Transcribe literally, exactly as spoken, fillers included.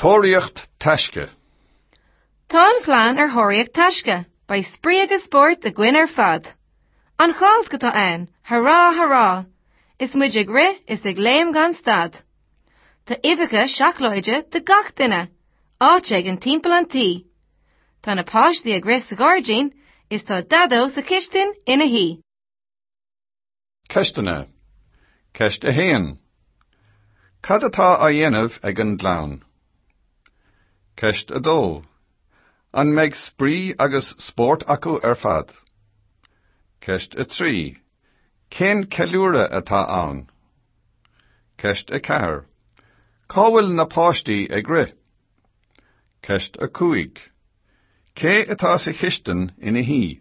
Tóraíocht taisce. Tá an chlann ar thóraíocht taisce, beidh spraoi agus spórt againn ar fad. An Cháisc atá ann, hurá hurá! Is muid ag rith is ag léim gan stad. Tá uibheacha seacláide do gach duine, áit éigin timpeall an tí. Tá na páistí ag rith sa ghairdín is tá Daideo sa chistin ina shuí. Ceisteanna. Ceist a haon. Cad atá á dhéanamh ag an gclann? Ceist a dó. An mbeidh spraoi agus spórt acu ar fad? Ceist a trí. Cén ceiliúradh atá ann? Ceist a ceathair. Cá bhfuil na páistí ag rith? Ceist a cúig. Cé atá sa chistin ina shuí?